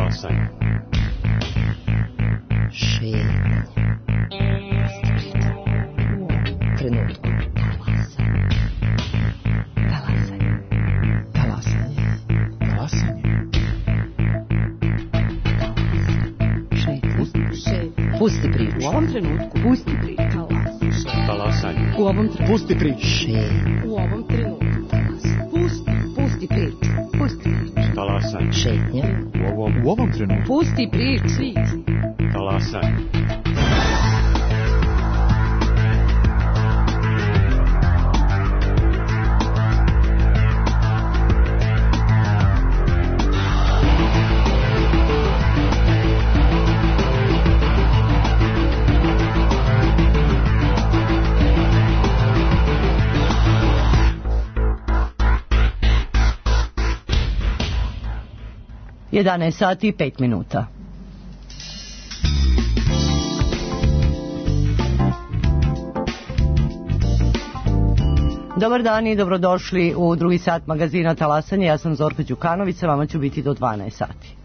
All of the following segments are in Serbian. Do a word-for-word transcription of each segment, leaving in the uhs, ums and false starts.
Talasaj. Šetnja. Trenutku. Talasaj. Talasaj. Talasaj. Pusti priču. U ovom trenutku. Pusti priču. Talasaj. Talasaj. U ovom trenutku. Pusti priču. Šetnja. U ovom trenutku. Talasaj. Pusti. Pusti priču. Pusti priču. Talasaj. Šetnja. U ovom, U ovom trenutku. Pusti priču. talasaj. jedanaest sati i pet minuta. Dobar dan i dobrodošli u drugi sat magazina Talasanje. Ja sam Zorka Đukanović, sa vama ću biti do dvanaest sati.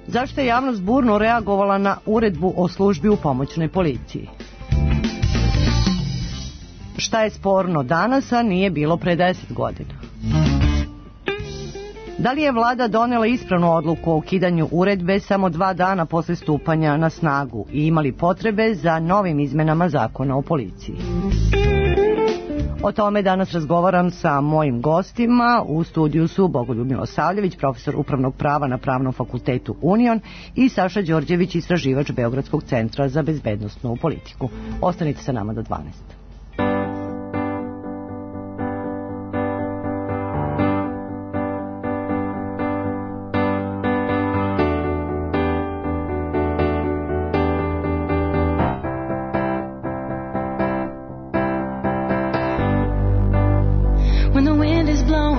Zašto je javnost burno reagovala na uredbu o službi u pomoćnoj policiji? Šta je sporno danas, a nije bilo pre deset godina? Da li je vlada donela ispravnu odluku o ukidanju uredbe samo dva dana posle stupanja na snagu i imali potrebe za novim izmenama zakona o policiji? O tome danas razgovaram sa mojim gostima. U studiju su Bogoljub Milosavljević, profesor upravnog prava na Pravnom fakultetu Union, i Saša Đorđević, istraživač Beogradskog centra za bezbednosnu politiku. Ostanite sa nama do dvanaest. Don't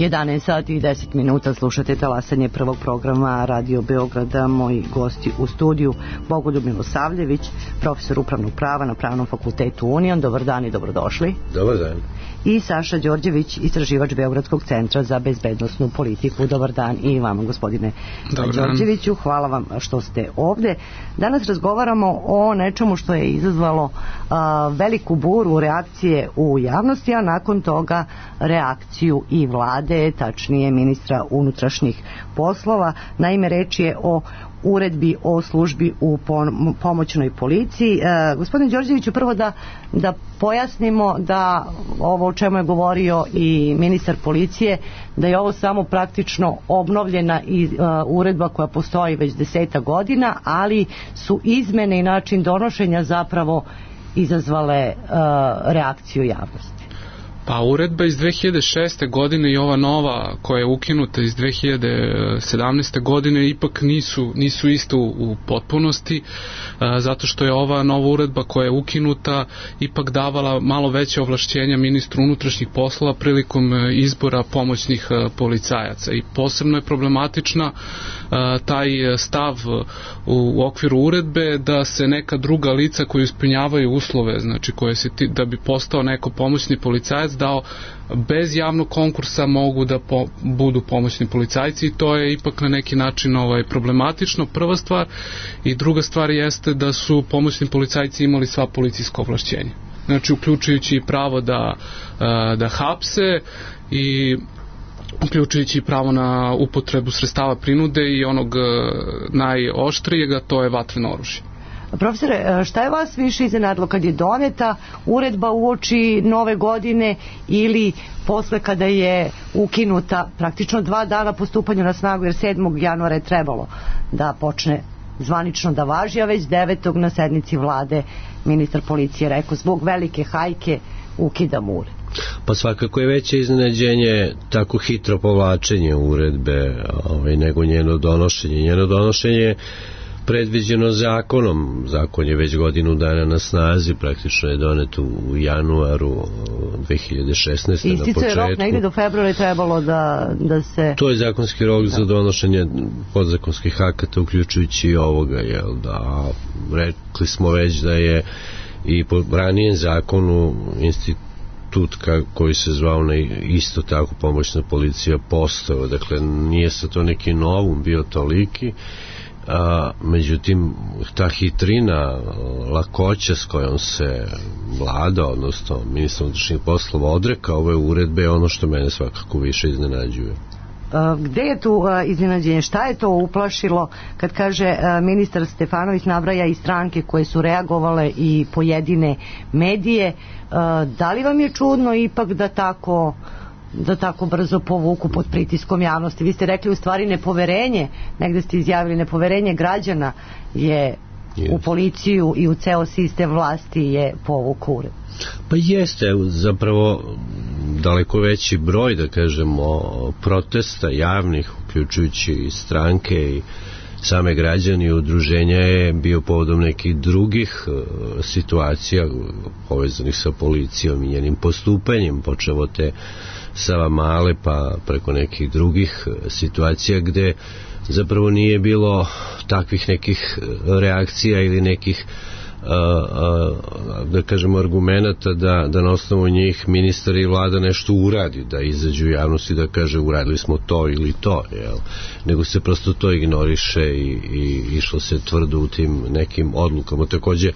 jedanaest sati i deset minuta, slušate talasanje prvog programa Radio Beograda. Moji gosti u studiju: Bogoljub Milosavljević, profesor upravnog prava na Pravnom fakultetu Union. Dobar dan i dobrodošli. Dobar dan. I Saša Đorđević, istraživač Beogradskog centra za bezbednosnu politiku. Dobar dan i vama, gospodine Đorđeviću. Hvala vam što ste ovde. Danas razgovaramo o nečemu što je izazvalo a, veliku buru reakcije u javnosti, a nakon toga reakciju i vlade, tačnije ministra unutrašnjih poslova. Naime, reč je o uredbi o službi u pomoćnoj policiji. E, gospodine Đorđeviću, prvo da, da pojasnimo da ovo o čemu je govorio i ministar policije, da je ovo samo praktično obnovljena i, uh, uredba koja postoji već deseta godina, ali su izmene i način donošenja zapravo izazvale uh, reakciju javnosti. Pa uredba iz dve hiljade šeste. godine i ova nova koja je ukinuta iz dve hiljade sedamnaeste. godine ipak nisu, nisu isto u potpunosti, zato što je ova nova uredba koja je ukinuta ipak davala malo veće ovlašćenja ministru unutrašnjih poslova prilikom izbora pomoćnih policajaca, i posebno je problematična taj stav u okviru uredbe da se neka druga lica koji ispunjavaju uslove, znači koje se ti, da bi postao neko pomoćni policajac, dao bez javnog konkursa mogu da po, budu pomoćni policajci, i to je ipak na neki način ovaj, problematično, prva stvar. I druga stvar jeste da su pomoćni policajci imali sva policijska ovlašćenja, znači uključujući pravo da, da hapse i uključujući pravo na upotrebu sredstava prinude i onog najoštrijega, to je vatreno oružje. Profesore, šta je vas više iznenadilo, kad je doneta uredba uoči nove godine ili posle kada je ukinuta praktično dva dana po stupanju na snagu, jer sedmog januara je trebalo da počne zvanično da važi, a već devetog na sednici vlade ministar policije rekao zbog velike hajke ukidamo uredbu. Pa svakako je veće iznenađenje tako hitro povlačenje uredbe ovaj, nego njeno donošenje. Njeno donošenje predviđeno zakonom. Zakon je već godinu dana na snazi, praktično je donet u januaru dve hiljade šesnaeste. na početku. Ističe rok negdje do februara je trebalo da, da se... To je zakonski rok za donošenje podzakonskih akata, uključujući i ovoga, jel da, rekli smo već da je i po ranijem zakonu institut koji se zvao na isto tako pomoćna policija postao, dakle nije sa to neki novum bio toliki. A, međutim, ta hitrina, lakoća s kojom se vlada, odnosno ministar unutrašnjih poslova odreka ove uredbe, je ono što mene svakako više iznenađuje. Gde je tu iznenađenje? Šta je to uplašilo kad kaže ministar Stefanović, nabraja i stranke koje su reagovale i pojedine medije? Da li vam je čudno ipak da tako da tako brzo povuku pod pritiskom javnosti? Vi ste rekli u stvari nepoverenje, negde ste izjavili nepoverenje građana je yes. u policiju i u ceo sistem vlasti je povuku uredbu. Pa jeste, zapravo daleko veći broj, da kažemo, protesta javnih, uključujući i stranke i same građani i udruženja, je bio povodom nekih drugih uh, situacija povezanih sa policijom i njenim postupanjem, počevo te Savamale pa preko nekih drugih situacija gde zapravo nije bilo takvih nekih reakcija ili nekih uh, uh, da kažemo argumenata da, da na osnovu njih ministar i vlada nešto uradi, da izađu u javnosti da kaže uradili smo to ili to, jel? Nego se prosto to ignoriše i, i išlo se tvrdo u tim nekim odlukama. Takođe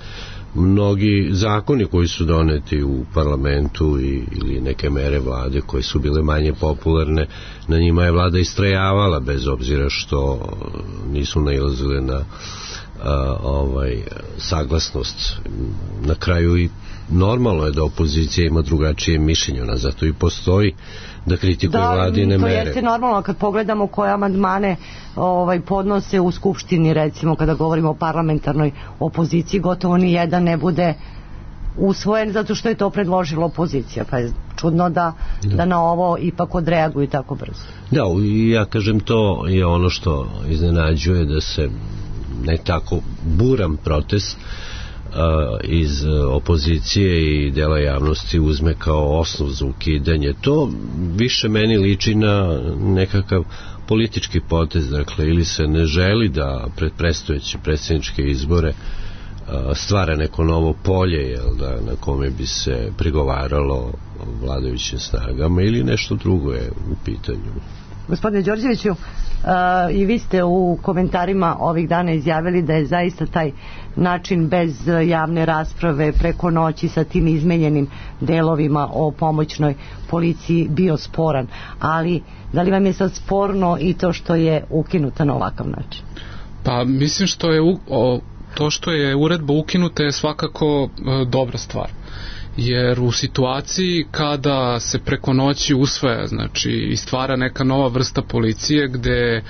mnogi zakoni koji su doneti u parlamentu i, ili neke mere vlade koje su bile manje popularne, na njima je vlada istrajavala bez obzira što nisu nailazile na a, ovaj, saglasnost. Na kraju i normalno je da opozicija ima drugačije mišljenje, ona zato i postoji da kritikuje da, vladine mere. Da, to jeste normalno kad pogledamo koje amandmane ovaj, podnose u Skupštini, recimo kada govorimo o parlamentarnoj opoziciji, gotovo ni jedan ne bude usvojen zato što je to predložila opozicija, pa je čudno da, da. da na ovo ipak odreaguju tako brzo. Da, i ja kažem, to je ono što iznenađuje, da se ne tako buran protest iz opozicije i dela javnosti uzme kao osnov za ukidanje. To više meni liči na nekakav politički potez, dakle, ili se ne želi da pred predstojeće predsjedničke izbore stvara neko novo polje, jel da, na kome bi se prigovaralo vladajućim snagama, ili nešto drugo je u pitanju. Gospodine Đorđeviću, uh, i vi ste u komentarima ovih dana izjavili da je zaista taj način bez javne rasprave preko noći sa tim izmenjenim delovima o pomoćnoj policiji bio sporan, ali da li vam je sad sporno i to što je ukinuta na ovakav način? Pa mislim što je u, o, to što je uredba ukinuta je svakako e, dobra stvar, jer u situaciji kada se preko noći usvaja, znači i stvara neka nova vrsta policije gde e,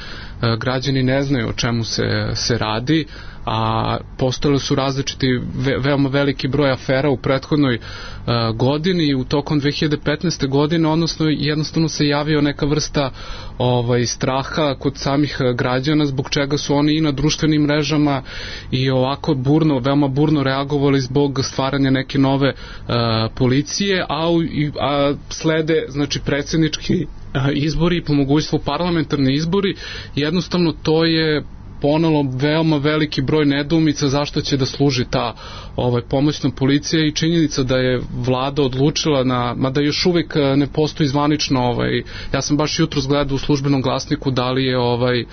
građani ne znaju o čemu se, se radi, a postojali su različiti ve, veoma veliki broj afera u prethodnoj e, godini i u tokom dve hiljade petnaeste. godine, odnosno jednostavno se javio neka vrsta ovaj, straha kod samih građana, zbog čega su oni i na društvenim mrežama i ovako burno, veoma burno reagovali zbog stvaranja neke nove e, policije, a, u, a slede, znači, predsjednički izbori i po mogućstvu parlamentarni izbori. Jednostavno to je ponelo veoma veliki broj nedoumica zašto će da služi ta ovaj, pomoćna policija, i činjenica da je vlada odlučila na, mada još uvijek ne postoji zvanično, ovaj, ja sam baš jutros gledao u službenom glasniku da li je ovaj,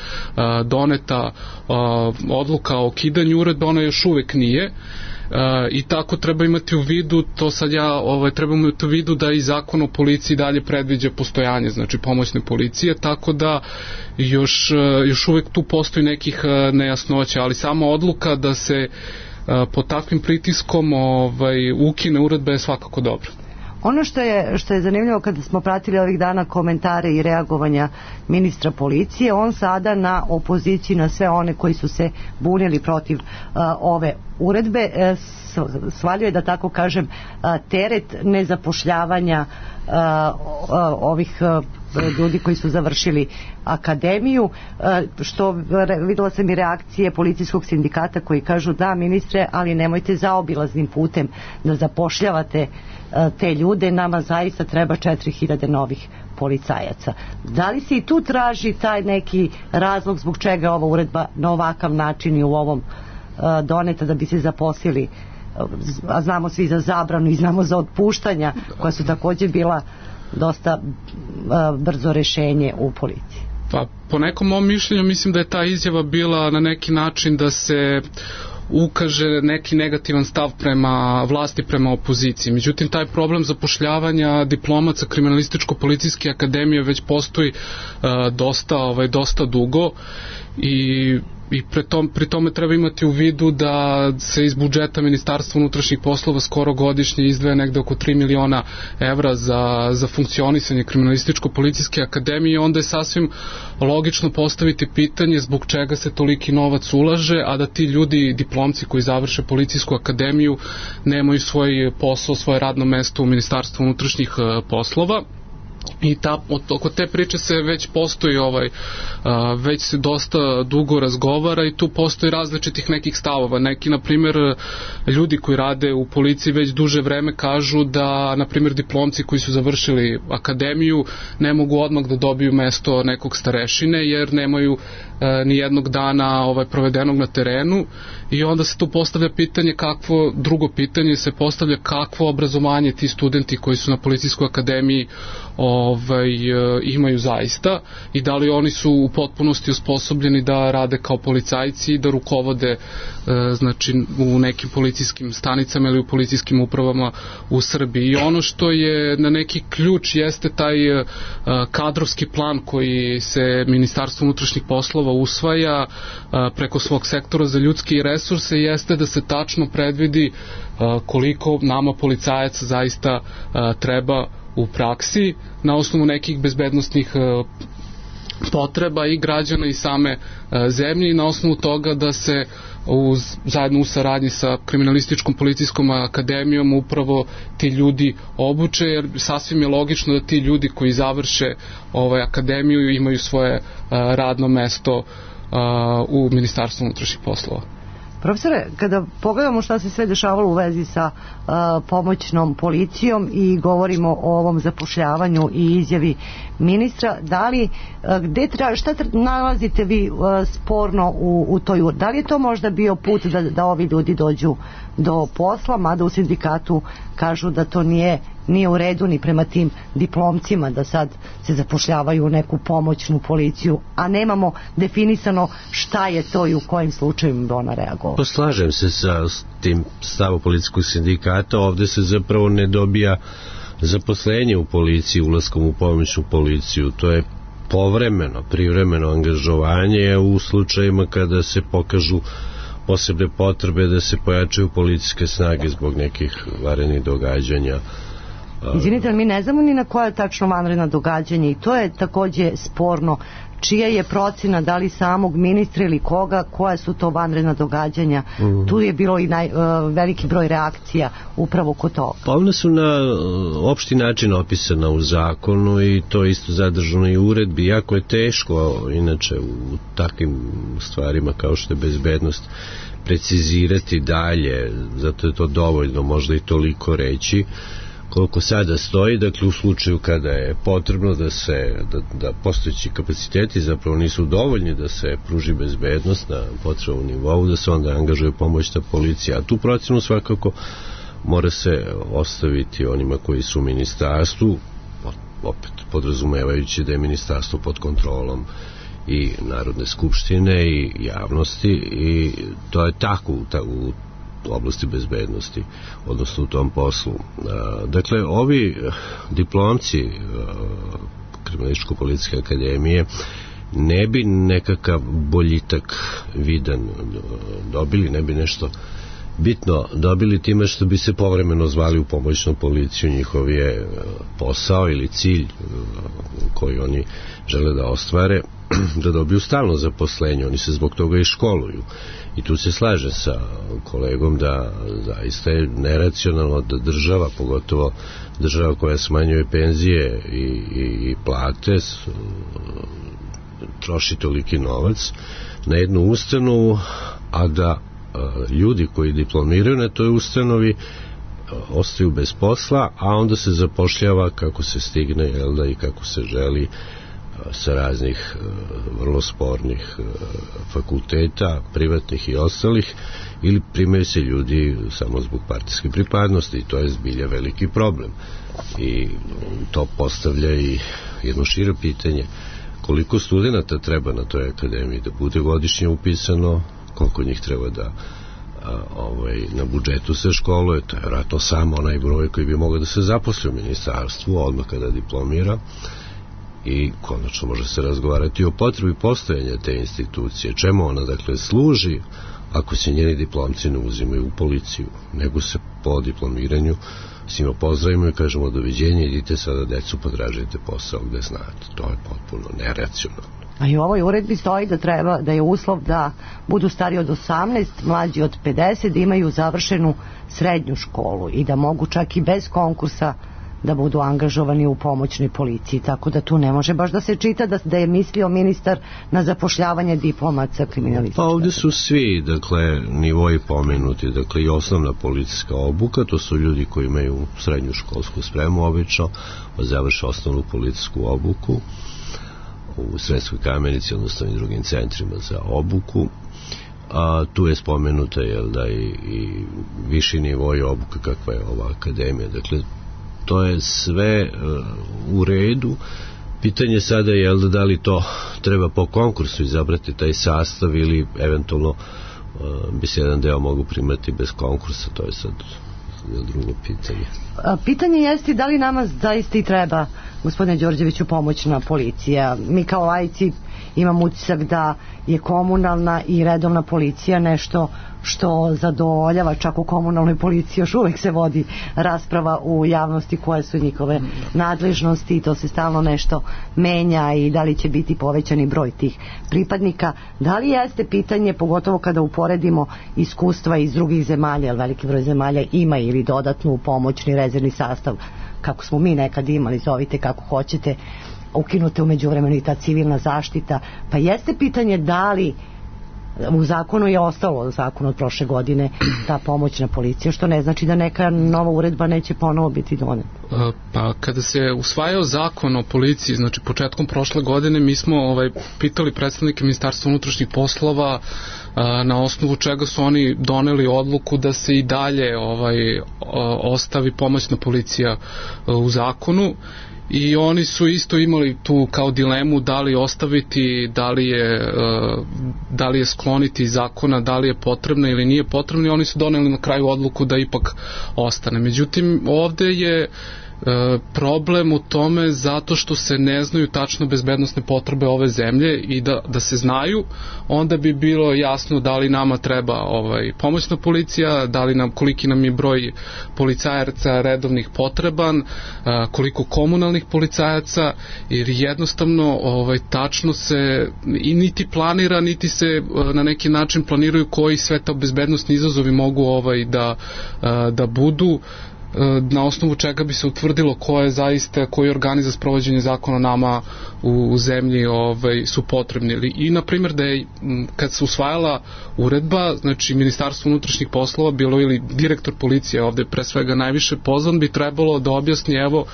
doneta odluka o ukidanju uredbe, ona još uvijek nije. Uh, i tako treba imati u vidu, to sad ja ovaj, treba imati u vidu da i zakon o policiji dalje predviđa postojanje, znači pomoćne policije, tako da još, još uvijek tu postoji nekih nejasnoća, ali sama odluka da se uh, pod takvim pritiskom ovaj, ukine uredba je svakako dobro. Ono što je, što je zanimljivo kada smo pratili ovih dana komentare i reagovanja ministra policije, on sada na opoziciji, na sve one koji su se bunili protiv uh, ove uredbe, uh, svaljuje, da tako kažem, uh, teret nezapošljavanja uh, uh, ovih uh, ljudi koji su završili akademiju, uh, što videla sam i reakcije policijskog sindikata koji kažu da, ministre, ali nemojte zaobilaznim putem da zapošljavate te ljude, nama zaista treba četiri hiljade novih policajaca. Da li se i tu traži taj neki razlog zbog čega je ova uredba na ovakav način i u ovom uh, doneta, da bi se zaposlili, a znamo svi za zabranu i znamo za otpuštanja koja su također bila dosta uh, brzo rešenje u policiji? Pa po nekom mom mišljenju mislim da je ta izjava bila na neki način da se ukaže neki negativan stav prema vlasti, prema opoziciji. Međutim, taj problem zapošljavanja diplomaca kriminalističko-policijske akademije već postoji uh, dosta, ovaj, dosta dugo, i i pri, tom, pri tome treba imati u vidu da se iz budžeta Ministarstva unutrašnjih poslova skoro godišnje izdvaja negde oko tri miliona evra za, za funkcionisanje kriminalističko-policijske akademije, i onda je sasvim logično postaviti pitanje zbog čega se toliki novac ulaže, a da ti ljudi, diplomci koji završe policijsku akademiju, nemaju svoj posao, svoje radno mesto u Ministarstvu unutrašnjih poslova. I ta, oko te priče se već postoji ovaj, a, već se dosta dugo razgovara i tu postoji različitih nekih stavova. Neki, na primjer, ljudi koji rade u policiji već duže vreme kažu da, na primjer, diplomci koji su završili akademiju ne mogu odmah da dobiju mesto nekog starešine jer nemaju e, ni jednog dana ovaj, provedenog na terenu, i onda se tu postavlja pitanje kakvo, drugo pitanje se postavlja kakvo obrazovanje ti studenti koji su na policijskoj akademiji ovaj, imaju zaista, i da li oni su u potpunosti osposobljeni da rade kao policajci i da rukovode znači u nekim policijskim stanicama ili u policijskim upravama u Srbiji. I ono što je na neki ključ jeste taj kadrovski plan koji se Ministarstvo unutrašnjih poslova usvaja preko svog sektora za ljudske resurse, jeste da se tačno predvidi koliko nama policajaca zaista treba u praksi na osnovu nekih bezbednostnih potreba i građana i same zemlje, i na osnovu toga da se uz, zajedno u saradnji sa kriminalističkom policijskom akademijom upravo ti ljudi obuče, jer sasvim je logično da ti ljudi koji završe ovaj, akademiju imaju svoje radno mesto u Ministarstvu unutrašnjih poslova. Profesore, kada pogledamo šta se sve dešavalo u vezi sa uh, pomoćnom policijom i govorimo o ovom zapošljavanju i izjavi ministra, da li, uh, gde tra, šta tra, nalazite vi uh, sporno u, u toj, da li je to možda bio put da, da ovi ljudi dođu do posla, mada u sindikatu kažu da to nije nije u redu ni prema tim diplomcima da sad se zapošljavaju u neku pomoćnu policiju, a nemamo definisano šta je to i u kojim slučajima bi ona reagovala. Poslažem se sa tim stavom policijskog sindikata, ovde se zapravo ne dobija zaposlenje u policiji ulaskom u pomoćnu policiju, to je povremeno, privremeno angažovanje u slučajima kada se pokažu posebne potrebe da se pojačaju policijske snage zbog nekih vanrednih događanja. Izvinite, ali mi ne znamo ni na koja tačno vanredna događanja i to je takođe sporno. Čija je procena, da li samog ministra ili koga, koja su to vanredna događanja? Mm. Tu je bilo i naj, uh, veliki broj reakcija upravo kod toga. Pa one su na uh, opšti način opisana u zakonu i to isto zadržano i u uredbi. Jako je teško, inače, u takvim stvarima kao što je bezbednost precizirati dalje, zato je to dovoljno možda i toliko reći koliko sada stoji, dakle u slučaju kada je potrebno da se da, da postojeći kapaciteti zapravo nisu dovoljni da se pruži bezbednost na potrebnom nivou, da se onda angažuje pomoćna policija, a tu procenu svakako mora se ostaviti onima koji su u ministarstvu, opet podrazumevajući da je ministarstvo pod kontrolom i Narodne skupštine i javnosti, i to je tako u, ta, u oblasti bezbednosti, odnosno u tom poslu. Dakle, ovi diplomci Kriminalističko-policijske akademije ne bi nekakav boljitak vidan dobili, ne bi nešto bitno dobili time što bi se povremeno zvali u pomoćnu policiju. Njihov je posao ili cilj koji oni žele da ostvare da dobiju stalno zaposlenje. Oni se zbog toga i školuju. I tu se slaže sa kolegom da zaista je neracionalno da država, pogotovo država koja smanjuje penzije i, i, i plate, troši toliki novac na jednu ustanovu, a da ljudi koji diplomiraju na toj ustanovi ostaju bez posla, a onda se zapošljava kako se stigne, jel da, i kako se želi sa raznih vrlo spornih fakulteta, privatnih i ostalih, ili primaju se ljudi samo zbog partijske pripadnosti, i to je zbilja veliki problem. I to postavlja i jedno šire pitanje: koliko studenata treba na toj akademiji da bude godišnje upisano, koliko njih treba da a, ovaj, na budžetu se školuje, to je vjerojatno samo onaj broj koji bi mogao da se zaposli u ministarstvu odmah kada diplomira. I konačno može se razgovarati o potrebi postojanja te institucije, čemu ona dakle služi ako se njeni diplomci ne uzimaju u policiju, nego se po diplomiranju svima pozdravimo i kažemo doviđenja, idite sada decu, potražite posao gde znate. To je potpuno neracionalno. A i u ovoj uredbi stoji da treba, da je uslov da budu stari od osamnaest, mlađi od pedeset, da imaju završenu srednju školu i da mogu čak i bez konkursa da budu angažovani u pomoćnoj policiji, tako da tu ne može baš da se čita da, da je mislio ministar na zapošljavanje diplomaca kriminalistička. Pa ovdje su svi, dakle, nivoji pomenuti, dakle i osnovna policijska obuka, to su ljudi koji imaju srednju školsku spremu obično, završe osnovnu policijsku obuku u Sremskoj Kamenici, odnosno i drugim centrima za obuku. A tu je spomenuta, jel da, i, i viši nivoj obuke kakva je ova akademija, dakle to je sve uh, u redu. Pitanje sada je, jel da, da li to treba po konkursu izabrati taj sastav ili eventualno uh, bi se jedan deo mogu primati bez konkursa, to je sad drugo pitanje. A, pitanje jeste da li nama zaista i treba, gospodine Đorđeviću, pomoćna policija. Mi kao laici imam utisak da je komunalna i redovna policija nešto što zadovoljava, čak u komunalnoj policiji još uvek se vodi rasprava u javnosti koje su njihove nadležnosti i to se stalno nešto menja i da li će biti povećani broj tih pripadnika. Da li jeste pitanje, pogotovo kada uporedimo iskustva iz drugih zemalja, jer veliki broj zemalja ima ili dodatnu pomoćni rezervni sastav, kako smo mi nekad imali, zovite kako hoćete, ukinute u međuvremenu i ta civilna zaštita, pa jeste pitanje da li U zakonu je ostalo, zakon od prošle godine, ta pomoćna policija, što ne znači da neka nova uredba neće ponovo biti doneta. Pa kada se usvajao zakon o policiji, znači početkom prošle godine, mi smo ovaj, pitali predstavnike Ministarstva unutrašnjih poslova a, na osnovu čega su oni doneli odluku da se i dalje ovaj, ostavi pomoćna policija a, u zakonu. I oni su isto imali tu kao dilemu da li ostaviti, da li je, da li je skloniti iz zakona, da li je potrebna ili nije potrebna, i oni su doneli na kraju odluku da ipak ostane. Međutim, ovde je problem u tome zato što se ne znaju tačno bezbednosne potrebe ove zemlje, i da, da se znaju, onda bi bilo jasno da li nama treba ovaj, pomoćna policija, da li nam, koliki nam je broj policajaca redovnih potreban, koliko komunalnih policajaca, jer jednostavno ovaj, tačno se i niti planira, niti se na neki način planiraju koji sve ta bezbednosni izazovi mogu ovaj, da, da budu, na osnovu čega bi se utvrdilo ko je zaista, koji organi za sprovođenje zakona nama u, u zemlji ovaj, su potrebni. I na primjer da je kad se usvajala uredba, znači Ministarstvo unutrašnjih poslova bilo ili direktor policije ovde pre svega najviše pozvan, bi trebalo da objasni, evo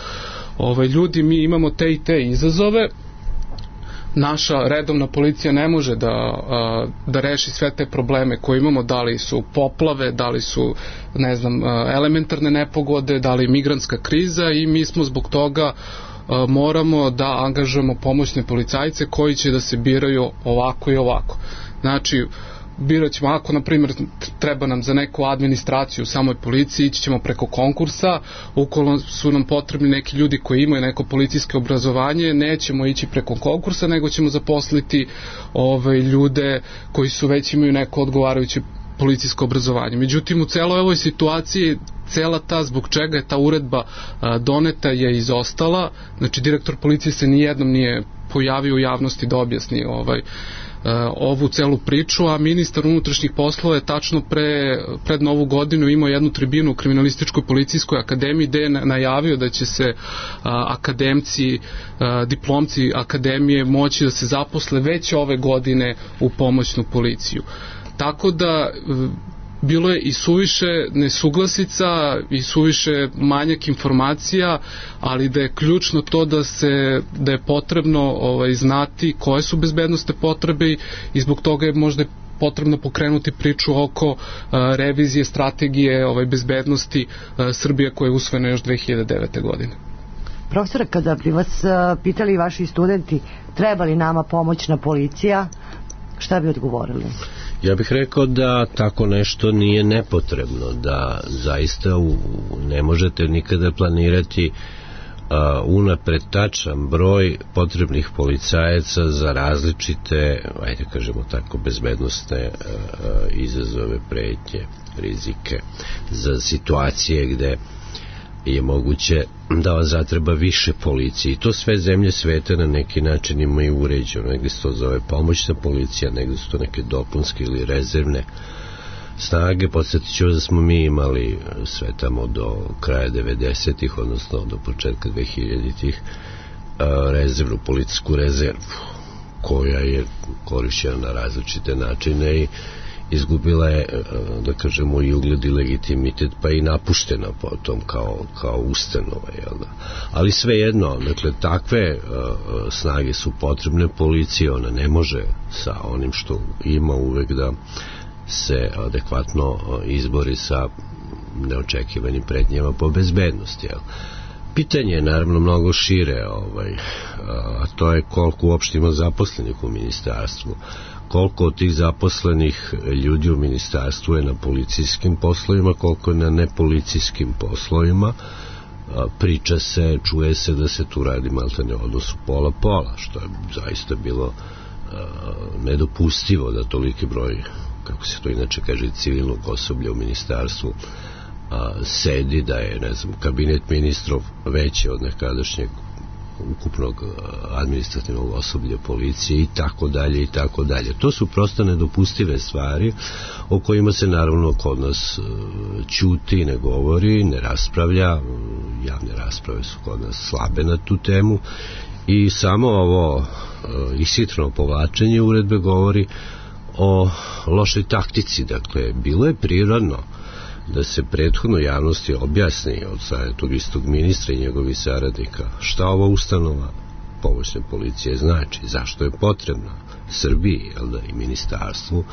ovaj, ljudi, mi imamo te i te izazove, naša redovna policija ne može da, da reši sve te probleme koje imamo, da li su poplave, da li su, ne znam, elementarne nepogode, da li migrantska kriza, i mi smo zbog toga moramo da angažujemo pomoćne policajce koji će da se biraju ovako i ovako. Znači, birat ćemo, ako na primjer treba nam za neku administraciju u samoj policiji, ići ćemo preko konkursa, ukoliko su nam potrebni neki ljudi koji imaju neko policijsko obrazovanje, nećemo ići preko konkursa, nego ćemo zaposliti ove ljude koji su već imaju neko odgovarajuće policijsko obrazovanje. Međutim, u celoj ovoj situaciji cela ta, zbog čega je ta uredba a, doneta, je izostala. Znači, direktor policije se nijednom nije pojavio u javnosti da objasni ovaj ovu celu priču, a ministar unutrašnjih poslova je tačno pre, pred novu godinu imao jednu tribinu u Kriminalističkoj policijskoj akademiji gde je najavio da će se a, akademci, a, diplomci akademije moći da se zaposle već ove godine u pomoćnu policiju. Tako da bilo je i suviše nesuglasica i suviše manjak informacija, ali da je ključno to da se da je potrebno ovaj, znati koje su bezbednosne potrebe, i zbog toga je možda potrebno pokrenuti priču oko a, revizije strategije ovaj, bezbednosti a, Srbije, koja je usvojena još dve hiljade devete. godine. Profesore, kada bi vas a, pitali vaši studenti treba li nama pomoćna policija, šta bi odgovorili? Ja bih rekao da tako nešto nije nepotrebno, da zaista u, ne možete nikada planirati a, unapred tačan broj potrebnih policajaca za različite, ajde kažemo tako, bezbednosne a, a, izazove, pretnje, rizike, za situacije gde je moguće da vas zatreba više policije, i to sve zemlje sveta na neki način imaju uređeno. Negde se to zove pomoćna policija, negde su to neke dopunske ili rezervne snage. Podsjetit ću da smo mi imali sve tamo do kraja devedesetih, odnosno do početka dvehiljaditih, rezervnu, policijsku rezervu, koja je korišćena na različite načine i izgubila je, da kažemo, i ugled i legitimitet, pa i napuštena potom kao, kao ustanova, jel da? Ali svejedno, dakle, takve uh, snage su potrebne policiji, ona ne može sa onim što ima uvek da se adekvatno izbori sa neočekivanim pretnjama po bezbednosti, jel? Pitanje je naravno mnogo šire, ovaj, a to je koliko uopšte ima zaposlenih u ministarstvu, koliko od tih zaposlenih ljudi u ministarstvu je na policijskim poslovima, koliko je na nepolicijskim poslovima. Priča se, čuje se da se tu radi maltene odnosu pola-pola, što je zaista bilo nedopustivo da toliki broj, kako se to inače kaže, civilnog osoblja u ministarstvu sedi, da je, ne znam, kabinet ministrov veći od nekadašnjeg ukupnog administrativnog osoblja policije i tako dalje i tako dalje. To su prosto nedopustive stvari o kojima se naravno kod nas ćuti, ne govori, ne raspravlja. Javne rasprave su kod nas slabe na tu temu i samo ovo ishitreno povlačenje uredbe govori o lošoj taktici. Dakle, bilo je prirodno da se prethodno javnosti objasni od strane tog istog ministra i njegovih saradnika šta ova ustanova pomoćne policije znači, zašto je potrebna Srbiji, jel da, i ministarstvu,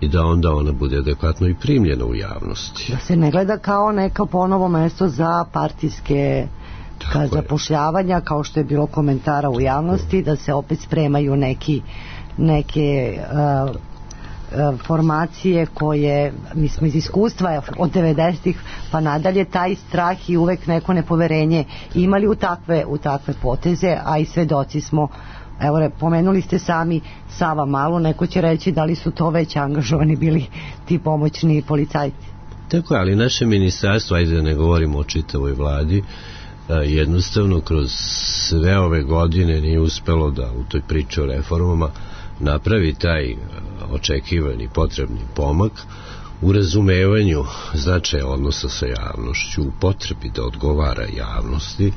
i da onda ona bude adekvatno i primljena u javnosti. Da se ne gleda kao neka ponovo mesto za partijske ka zapošljavanja, kao što je bilo komentara u javnosti, da se opet spremaju neki neke uh, uh, formacije koje, mi smo iz iskustva od devedesetih pa nadalje, taj strah i uvek neko nepoverenje imali u takve, u takve poteze, a i svedoci smo. Evo, pomenuli ste sami Sava Malu, neko će reći da li su to već angažovani bili ti pomoćni policajci. Tako je, ali naše ministarstvo, ajde da ne govorimo o čitavoj vladi, jednostavno kroz sve ove godine nije uspelo da u toj priči o reformama napravi taj očekivani potrebni pomak u razumevanju značaja odnosa sa javnošću, u potrebi da odgovara javnosti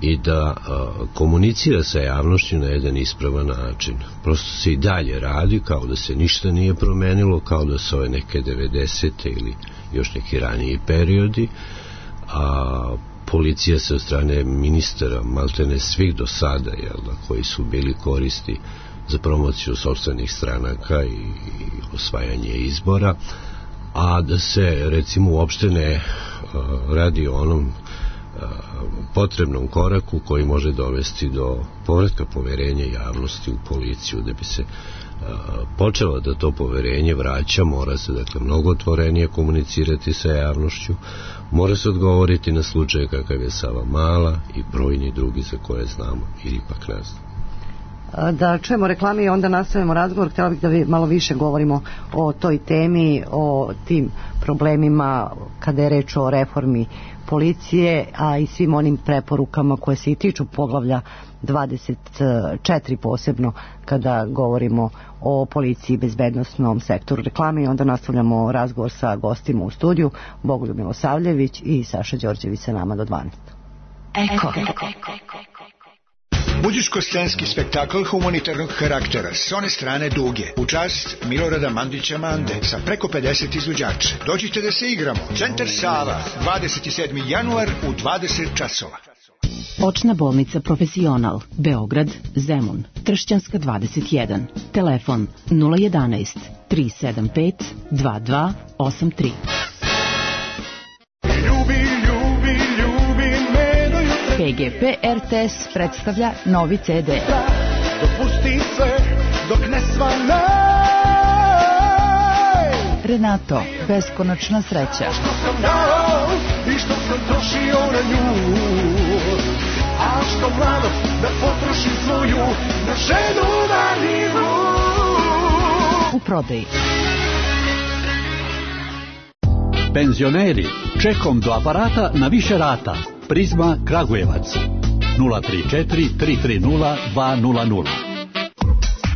i da uh, komunicira sa javnošću na jedan ispravan način. Prosto se i dalje radi kao da se ništa nije promenilo, kao da su ove neke devedesete ili još neki raniji periodi, a policija se od strane ministara, maltene svih do sada, jel da, koji su bili koristi za promociju sopstvenih stranaka i, i osvajanje izbora, a da se recimo uopšte ne uh, radi o onom potrebnom koraku koji može dovesti do povratka poverenja javnosti u policiju. Da bi se počelo da to poverenje vraća, mora se dakle mnogo otvorenije komunicirati sa javnošću, mora se odgovoriti na slučaje kakav je Sava Mala i brojni drugi za koje znamo ili ipak ne znamo. Da čujemo reklame i onda nastavimo razgovor. Htjela bih da vi malo više govorimo o toj temi, o tim problemima kada je reč o reformi policije, a i svim onim preporukama koje se i tiču poglavlja dvadeset četiri, posebno kada govorimo o policiji i bezbednosnom sektoru. Reklame i onda nastavljamo razgovor sa gostima u studiju. Bogoljub Milosavljević i Saša Đorđević sa nama do dvanaest. Eko. Muzičko-scenski spektakl humanitarnog karaktera s one strane Duge u čast Milorada Mandića Mande sa preko pedeset izvođača. Dođite da se igramo. Centar Sava, dvadeset sedmi januar u dvadeset časova. Očna bolnica Profesional, Beograd, Zemun, Tršćanska dvadeset jedan. Telefon nula jedanaest tri sedam pet dva dva osam tri. P G P R T S predstavlja novi C D. Dopusti sve dok ne svanaj. Renato, beskonačna sreća. Što sam dao i što sam trošio na nju, a što mlado da potrošim svoju na ženu na nivu. U prodaji. Penzioneri, čekom do aparata na više rata. Prizma Kragujevac nula tri četiri tri tri nula dva nula nula.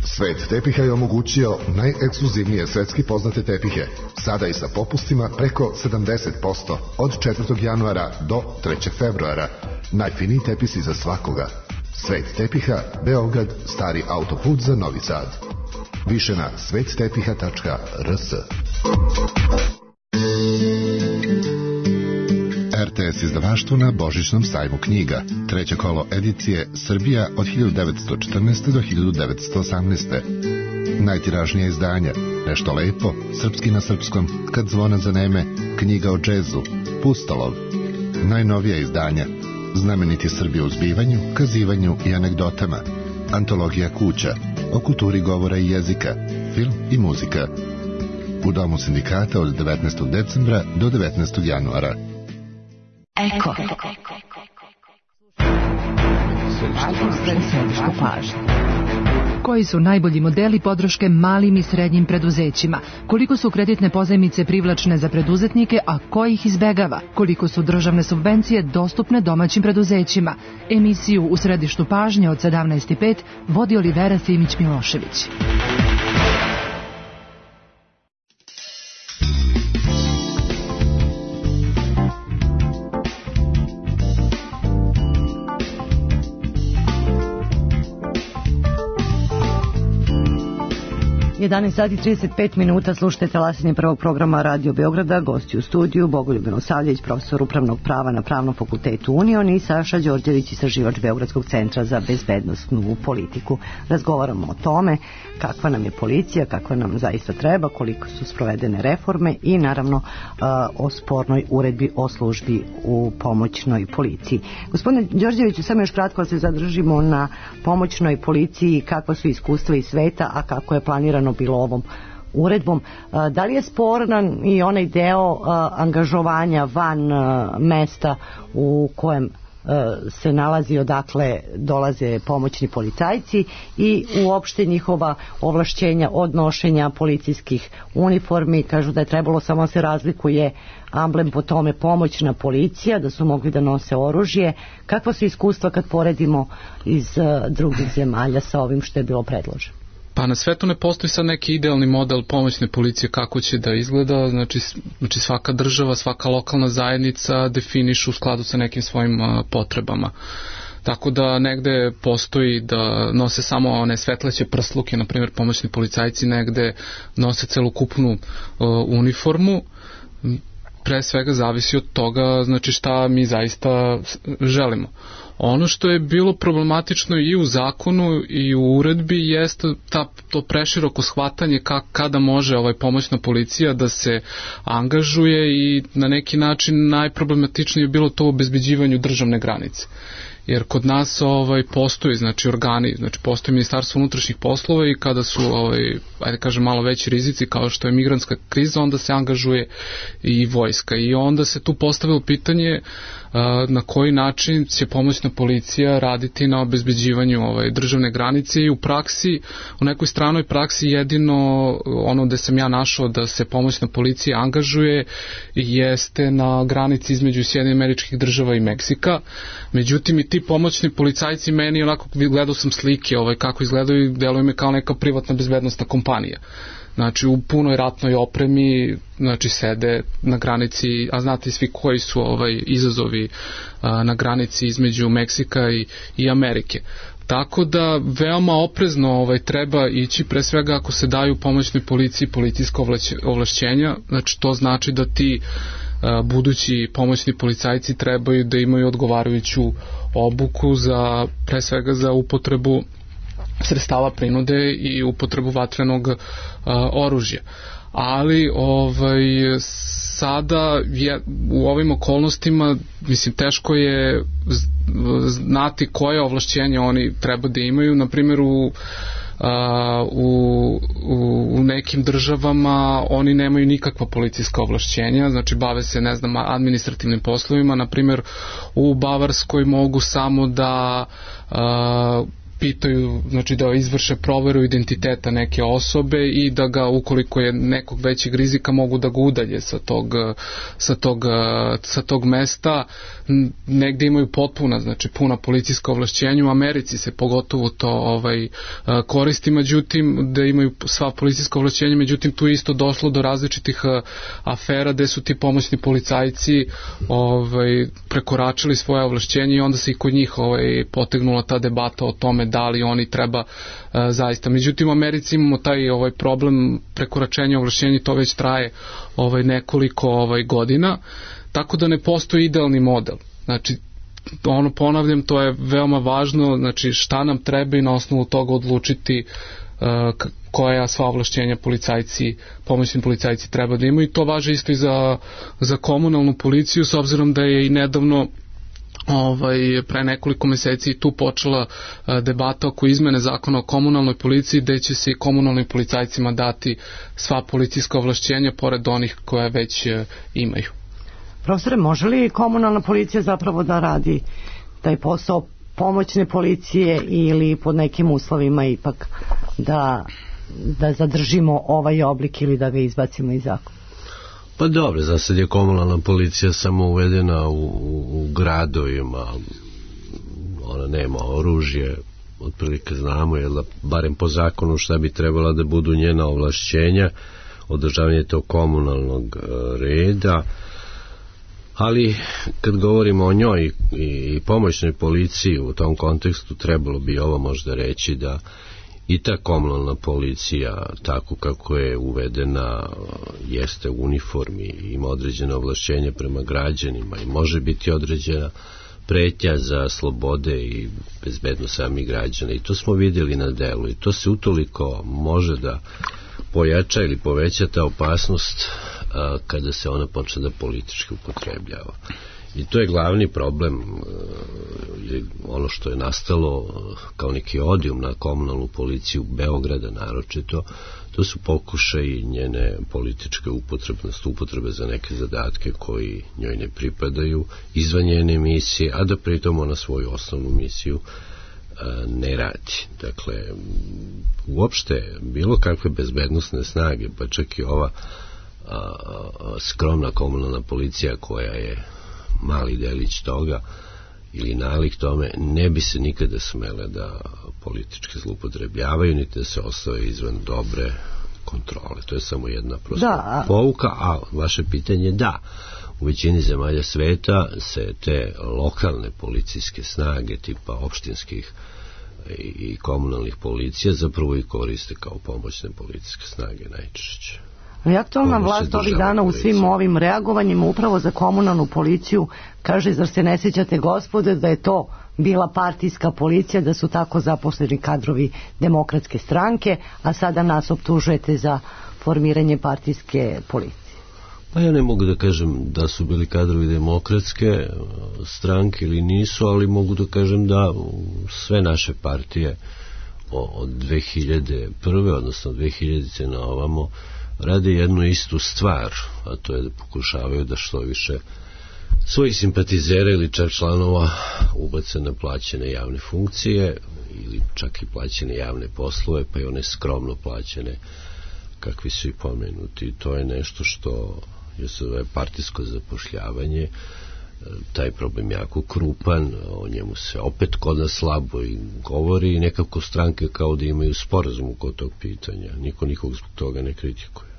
Svet tepiha je omogućio najekskluzivnije svetski poznate tepihe, sada i sa popustima preko sedamdeset posto od četvrtog januara do trećeg februara. Najfiniji tepisi za svakoga. Svet tepiha, Beograd, stari autoput za Novi Sad. Više na svet tepiha tačka r s. R T S izdavaštvo na Božićnom sajmu knjiga. Treće kolo edicije Srbija od hiljadu devetsto četrnaeste. do hiljadu devetsto osamnaeste. Najtiražnija izdanja Nešto lepo, Srpski na srpskom, Kad zvona zaneme, Knjiga o džezu, Pustolov. Najnovija izdanja Znameniti Srbi u zbivanju, kazivanju i anegdotama, Antologija kuća, o kulturi govora i jezika, film i muzika. U Domu sindikata od devetnaestog decembra do devetnaestog januara. Eko. Središtu pažnje. Koji su najbolji modeli podrške malim i srednjim preduzećima? Koliko su kreditne pozajmice privlačne za preduzetnike, a ko ih izbegava? Koliko su državne subvencije dostupne domaćim preduzećima? Emisiju U središtu pažnje od sedamnaest i pet vodi Olivera Simić-Milošević. jedanaest sati i trideset pet minuta, slušajte talasanje prvog programa Radio Beograda, gosti u studiju Bogoljub Milosavljević, profesor upravnog prava na Pravnom fakultetu Union, i Saša Đorđević, istraživač Beogradskog centra za bezbednosnu politiku. Razgovaramo o tome kakva nam je policija, kakva nam zaista treba, koliko su sprovedene reforme i naravno o spornoj uredbi o službi u pomoćnoj policiji. Gospodine Đorđeviću, samo još kratko se zadržimo na pomoćnoj policiji, kakva su iskustva iz sveta, a kako je planirano bilo ovom uredbom. Da li je sporan i onaj deo angažovanja van mesta u kojem se nalazi, odakle dolaze pomoćni policajci, i uopšte njihova ovlašćenja od nošenja policijskih uniformi? Kažu da je trebalo samo se razlikuje amblem po tome pomoćna policija, da su mogli da nose oružje. Kakva su iskustva kad poredimo iz drugih zemalja sa ovim što je bilo predloženo? Pa na svetu ne postoji sad neki idealni model pomoćne policije kako će da izgleda, znači, znači svaka država, svaka lokalna zajednica definišu u skladu sa nekim svojim uh, potrebama. Tako da negde postoji da nose samo one svetleće prsluke, na primjer pomoćni policajci negde nose celokupnu uh, uniformu. Pre svega zavisi od toga, znači šta mi zaista želimo. Ono što je bilo problematično i u zakonu i u uredbi jeste ta, to preširoko shvatanje ka, kada može ovaj pomoćna policija da se angažuje, i na neki način najproblematičnije je bilo to u obezbeđivanju državne granice. Jer kod nas ovaj postoji, znači organi, znači postoji Ministarstvo unutrašnjih poslova, i kada su ovaj ajde kažem malo veći rizici kao što je migrantska kriza, onda se angažuje i vojska, i onda se tu postavilo pitanje na koji način će pomoćna policija raditi na obezbeđivanju ovaj državne granice. I u praksi, u nekoj stranoj praksi, jedino ono gde sam ja našao da se pomoćna policija angažuje jeste na granici između Sjedinjenih Američkih Država i Meksika. Međutim, i ti pomoćni policajci, meni onako gledao sam slike ovaj kako izgledaju i deluju me kao neka privatna bezbednosna kompanija. Znači u punoj ratnoj opremi, znači sede na granici, a znate svi koji su ovaj izazovi a, na granici između Meksika i, i Amerike. Tako da veoma oprezno ovaj treba ići, pre svega ako se daju pomoćnoj policiji policijska ovlašćenja, znači to znači da ti a, budući pomoćni policajci trebaju da imaju odgovarajuću obuku za, pre svega za upotrebu sredstava prinude i upotrebu vatrenog uh, oružja. Ali ovaj sada je, u ovim okolnostima, mislim, teško je znati koje ovlašćenja oni treba da imaju. Na primjer u Uh, u, u, u nekim državama oni nemaju nikakva policijska ovlašćenja, znači bave se, ne znam, administrativnim poslovima. Na primjer u Bavarskoj mogu samo da uh, pitaju, znači da izvrše proveru identiteta neke osobe i da ga, ukoliko je nekog većeg rizika, mogu da ga udalje sa tog, sa tog, sa tog mesta. Negde imaju potpuna, znači puna policijska ovlašćenja. U Americi se pogotovo to ovaj koristi, međutim da imaju sva policijska ovlašćenja, međutim tu isto došlo do različitih afera gde su ti pomoćni policajci ovaj prekoračili svoje ovlašćenje, i onda se i kod njih ovaj potegnula ta debata o tome da li oni treba uh, zaista. Međutim u Americi imamo taj ovaj problem prekoračenja ovlašćenja, to već traje ovaj nekoliko ovaj godina, tako da ne postoji idealni model. Znači ono, ponavljam, to je veoma važno, znači šta nam treba i na osnovu toga odlučiti uh, koja sva ovlašćenja policajci, pomoćni policajci treba da imaju. I to važi isto i za, za komunalnu policiju, s obzirom da je i nedavno Ovaj, pre nekoliko meseci tu počela a, debata oko izmene zakona o komunalnoj policiji, gde će se i komunalnim policajcima dati sva policijska ovlašćenja pored onih koje već a, imaju. Profesore, može li komunalna policija zapravo da radi taj posao pomoćne policije, ili pod nekim uslovima ipak da, da zadržimo ovaj oblik ili da ga izbacimo iz zakona? Pa dobro, za sad je komunalna policija samo uvedena u, u, u gradovima, ona nema oružje, otprilike znamo, jer da, barem po zakonu šta bi trebala da budu njena ovlašćenja, održavanje tog komunalnog reda. Ali kad govorimo o njoj i, i pomoćnoj policiji u tom kontekstu, trebalo bi ovo možda reći da i ta komunalna policija, tako kako je uvedena, jeste u uniformi, ima određene ovlašćenja prema građanima i može biti određena pretnja za slobode i bezbednost samih građana, i to smo vidjeli na delu, i to se utoliko može da pojača ili poveća ta opasnost a, kada se ona počne da politički upotrebljava. I to je glavni problem, ili ono što je nastalo kao neki odijum na komunalnu policiju Beograda naročito, to su pokušaji njene političke upotrebnosti, upotrebe za neke zadatke koji njoj ne pripadaju, izvan njene misije, a da pritom ona svoju osnovnu misiju ne radi. Dakle, uopšte bilo kakve bezbednosne snage, pa čak i ova a, a, skromna komunalna policija koja je mali delić toga ili nalik tome, ne bi se nikada smele da politički zloupotrebljavaju, niti da se ostave izvan dobre kontrole. To je samo jedna prosta da. pouka, a vaše pitanje da. U većini zemalja sveta se te lokalne policijske snage tipa opštinskih i komunalnih policija zapravo i koriste kao pomoćne policijske snage najčešće. I aktualna vlast ovih dana u svim ovim reagovanjima upravo za komunalnu policiju kaže, zar se ne sjećate gospode da je to bila partijska policija, da su tako zaposleni kadrovi Demokratske stranke, a sada nas optužujete za formiranje partijske policije. Pa ja ne mogu da kažem da su bili kadrovi Demokratske stranke ili nisu, ali mogu da kažem da sve naše partije od dve hiljade prve odnosno dve hiljadite na ovamo rade jednu istu stvar, a to je da pokušavaju da što više svojih simpatizera ili čak članova ubace na plaćene javne funkcije ili čak i plaćene javne poslove, pa i one skromno plaćene kakvi su i pomenuti. To je nešto što je se zove partijsko zapošljavanje. Taj problem jako krupan, o njemu se opet kod nas slabo i govori i nekako stranke kao da imaju sporazum kod tog pitanja. Niko nikog zbog toga ne kritikuje.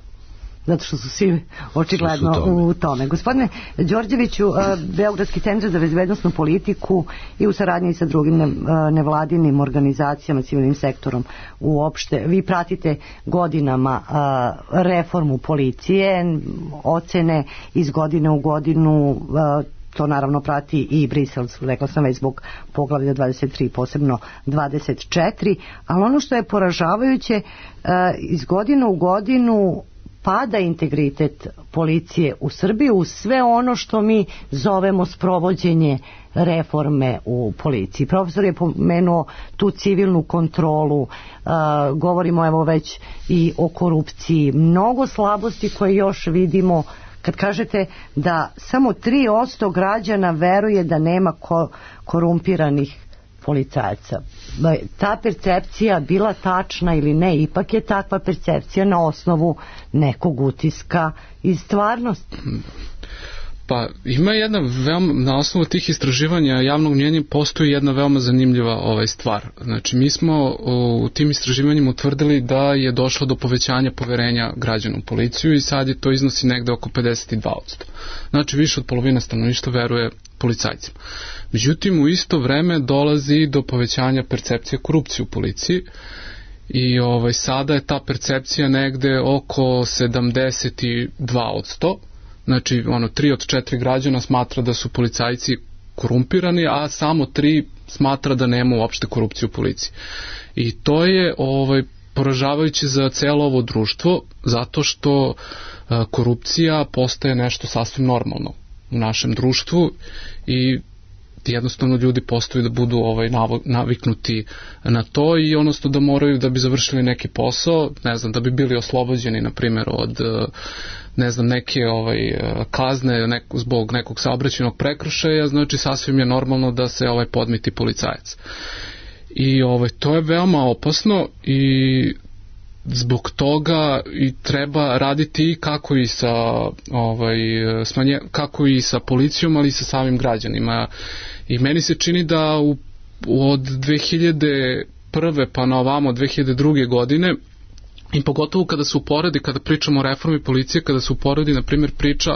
Zato što su svi očigledno su tome. u tome. Gospodine Đorđeviću, Beogradski centar za bezbednosnu politiku i u saradnji sa drugim nevladinim organizacijama, civilnim sektorom uopšte, vi pratite godinama reformu policije, ocene iz godine u godinu, to naravno prati i Brisel, rekla sam već zbog poglavlja dvadeset tri, posebno dvadeset četiri, ali ono što je poražavajuće, iz godine u godinu pada integritet policije u Srbiji uz sve ono što mi zovemo sprovođenje reforme u policiji. Profesor je pomenuo tu civilnu kontrolu, uh, govorimo evo već i o korupciji, mnogo slabosti koje još vidimo kad kažete da samo tri posto građana veruje da nema ko- korumpiranih policajaca. Ta percepcija bila tačna ili ne, ipak je takva percepcija na osnovu nekog utiska iz stvarnosti. Pa ima jedna veoma, na osnovu tih istraživanja javnog mnjenja postoji jedna veoma zanimljiva ovaj stvar. Znači mi smo u tim istraživanjima utvrdili da je došlo do povećanja poverenja građana u policiju i sad je to iznosi negde oko pedeset dva posto. Znači više od polovine stanovništva veruje policajcima. Međutim, u isto vreme dolazi do povećanja percepcije korupcije u policiji i ovaj, sada je ta percepcija negde oko sedamdeset dva posto. Znači, ono, tri od četiri građana smatra da su policajci korumpirani, a samo tri smatra da nema uopšte korupcije u policiji. I to je ovaj, poražavajuće za celo ovo društvo, zato što a, korupcija postaje nešto sasvim normalno u našem društvu i jednostavno ljudi postaju da budu ovaj naviknuti na to i odnosno da moraju da bi završili neki posao, ne znam, da bi bili oslobođeni na primjer od ne znam neke ovaj kazne nek, zbog nekog saobraćajnog prekršaja, znači sasvim je normalno da se ovaj podmiti policajac. I ovaj to je veoma opasno i zbog toga i treba raditi kako i sa ovaj smanje, kako i sa policijom, ali i sa samim građanima. I meni se čini da u, od dve hiljade prve pa na ovamo dve hiljade druge godine I pogotovo kada se uporedi, kada pričamo o reformi policije, kada se uporedi, na primjer, priča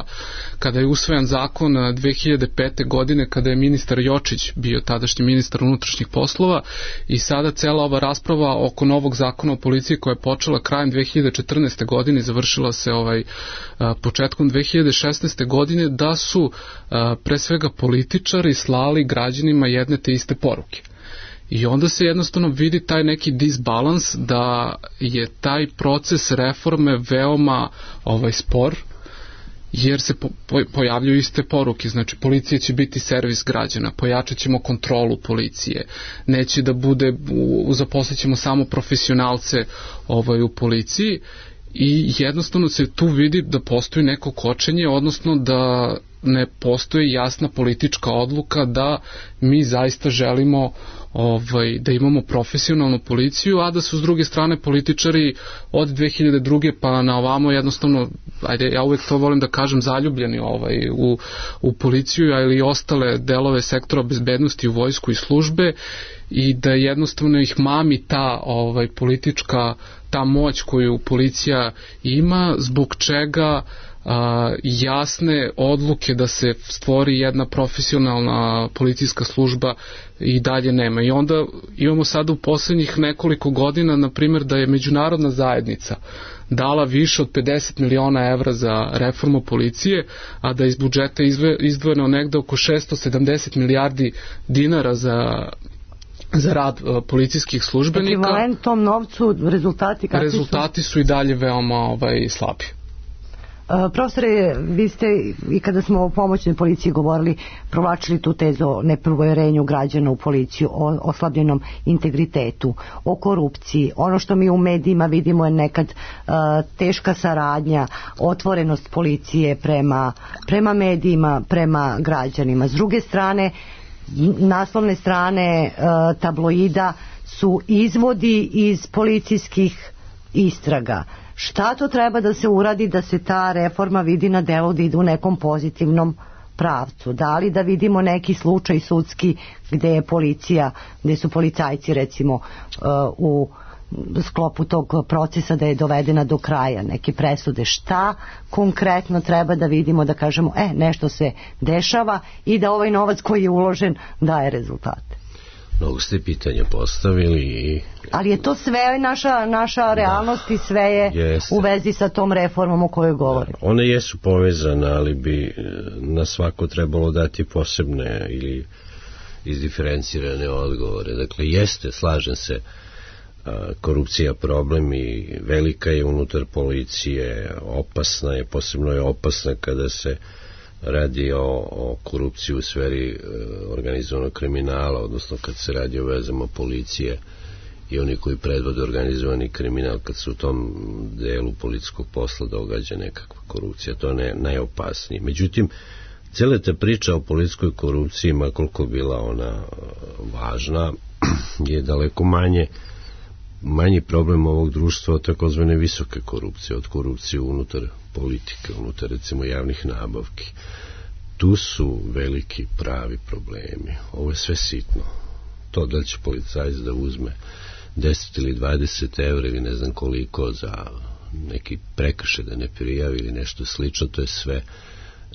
kada je usvojen zakon dve hiljade pete. godine, kada je ministar Jočić bio tadašnji ministar unutrašnjih poslova, i sada cela ova rasprava oko novog zakona o policiji koja je počela krajem dve hiljade četrnaeste. godine i završila se ovaj početkom dve hiljade šesnaeste. godine, da su pre svega političari slali građanima jedne te iste poruke. I onda se jednostavno vidi taj neki disbalans da je taj proces reforme veoma ovaj spor, jer se po, po, pojavljuju iste poruke. Znači, policija će biti servis građana, pojačat ćemo kontrolu policije, neće da bude, zaposlit ćemo samo profesionalce ovaj, u policiji, i jednostavno se tu vidi da postoji neko kočenje, odnosno da ne postoji jasna politička odluka da mi zaista želimo ovaj, da imamo profesionalnu policiju, a da su s druge strane političari od dve hiljade druge. pa na ovamo jednostavno, ajde, ja uvek to volim da kažem, zaljubljeni ovaj, u, u policiju, ali i ostale delove sektora bezbednosti, u vojsku i službe, i da jednostavno ih mami ta ovaj, politička, ta moć koju policija ima, zbog čega a, jasne odluke da se stvori jedna profesionalna policijska služba i dalje nema. I onda imamo sada u poslednjih nekoliko godina, na primjer, da je međunarodna zajednica dala više od pedeset miliona evra za reformu policije, a da iz budžeta izdvojeno negde oko šesto sedamdeset milijardi dinara za za rad uh, policijskih službenika. Ekvivalent tom novcu, rezultati kakvi su? Rezultati su i dalje veoma ovaj, slabi. Uh, profesore, vi ste i kada smo o pomoćnoj policiji govorili, provlačili tu tezu o nepoverenju građana u policiju, o oslabljenom integritetu, o korupciji. Ono što mi u medijima vidimo je nekad uh, teška saradnja, otvorenost policije prema, prema medijima, prema građanima. S druge strane, naslovne strane uh, tabloida su izvodi iz policijskih istraga. Šta to treba da se uradi da se ta reforma vidi na delu, da ide u nekom pozitivnom pravcu? Da li da vidimo neki slučaj sudski gde je policija, gde su policajci recimo uh, u sklopu tog procesa da je dovedena do kraja, neke presude? Šta konkretno treba da vidimo, da kažemo, e, nešto se dešava i da ovaj novac koji je uložen daje rezultate? Mnogo ste pitanja postavili i... Ali je to sve naša, naša realnost, da, i sve je jeste u vezi sa tom reformom o kojoj govorimo. Da, one jesu povezane, ali bi na svako trebalo dati posebne ili izdiferencirane odgovore. Dakle, jeste, slažem se, korupcija problem i velika je unutar policije, opasna je, posebno je opasna kada se radi o, o korupciji u sferi e, organizovanog kriminala, odnosno kad se radi o vezama policije i oni koji predvode organizovani kriminal, kad se u tom delu policijskog posla događa nekakva korupcija, to je ne, najopasnije. Međutim, cijela ta priča o policijskoj korupciji, ma koliko bila ona važna, je daleko manje manji problem ovog društva od takozvane visoke korupcije, od korupcije unutar politike, unutar recimo javnih nabavki. Tu su veliki pravi problemi. Ovo je sve sitno. To da li će policajac da uzme deset ili dvadeset evra ili ne znam koliko za neki prekršaj da ne prijavi ili nešto slično, to je sve